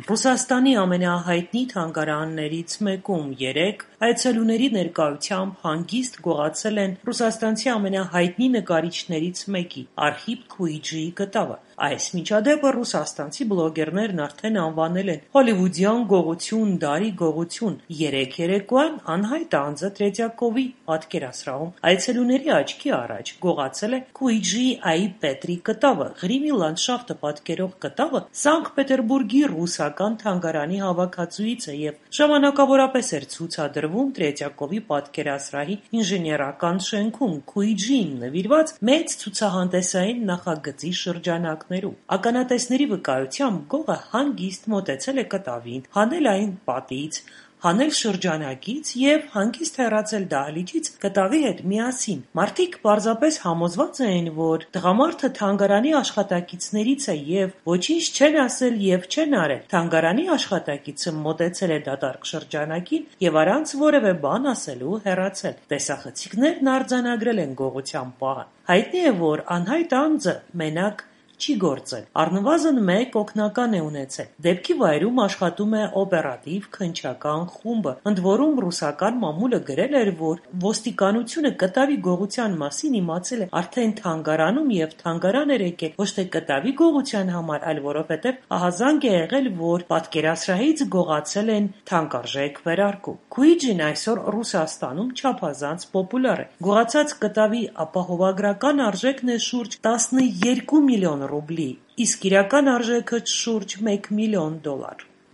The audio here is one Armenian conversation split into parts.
Ռուսաստանի ամենահայտնի թանգարաններից մեկում 3 այցելուների ներկայությամբ հանգիստ գողացել են ռուսաստանցի ամենահայտնի նկարիչներից մեկի՝ Արխիպ Քուիջիի կտավը։ Այս միջադեպը ռուսաստանցի բլոգերներն արդեն անվանել են հոլիվուդյան գողություն, դարի գողություն։ 3 երեկոյան անհայտ անձը Տրետյակովի պատկերասրահում այցելուների աչքի առաջ գողացել է Քուիջիի Այ Պետրի կտավը։ Ղրիմի լանդշաֆտը պատկերող կտավը Սանկտ Պետերբուրգի ռուսական թանգարանի հավաքածուից է և ժամանակավորապես էր ցուցադրվում Տրետյակովի պատկերասրահի ինժեներական շենքում Քուիջիին նվիրված մեծ ցուցահանդեսային նախագծի շրջանակներում։ Ականատեսների վկայությամբ գողը հանգիստ մոտեցել է կտավին, հանել այն պատից, հանել շրջանակից և հանգիստ հեռացել դահլիճից կտավի հետ միասին։ Մարդիկ պարզապես համոզված էին, որ տղամարդը թանգարանի աշխատակիցներից է և ոչինչ չեն ասել և չեն արել։ Թանգարանի աշխատակիցը մոտեցել է դատարկ շրջանակին և առանց որևէ բան ասելու հեռացել։ Տեսախցիկներն արձանագրել են գողության պահը։ Հայտնի է, որ անհայտ անձը մենակ չի գործել, առնվազն 1 օգնական է ունեցել։ Դեպքի վայրում աշխատում է օպերատիվ քննչական խումբը։ Ընդ որում, ռուսական մամուլը գրել էր, որ ոստիկանությունը կտավի գողության մասին իմացել է արդեն թանգարանում և թանգարան էր եկել ոչ թե կտավի գողության համար, այլ որովհետև ահազանգ է եղել, որ պատկերասրահից գողացել են թանկարժեք վերարկու։ Քուիջին այսօր Ռուսաստանում չափազանց պոպուլյար է։ Գողացած կտավի ապահովագրական արժեքն է շուրջ 12 միլիոն ռուբլի, իսկ իրական արժեքը՝ շուրջ $1 միլիոն։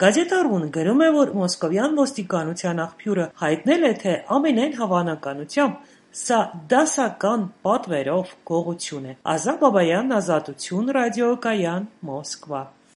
Գազետա.ru-ն գրում է, որ մոսկովյան ոստիկանության աղբյուրը հայտնել է, թե ամենայն հավանականությամբ սա դասական պատվերով գողություն է։ Ազա Բաբայան, Ազատություն ռադիոկայան, Մոսկվա։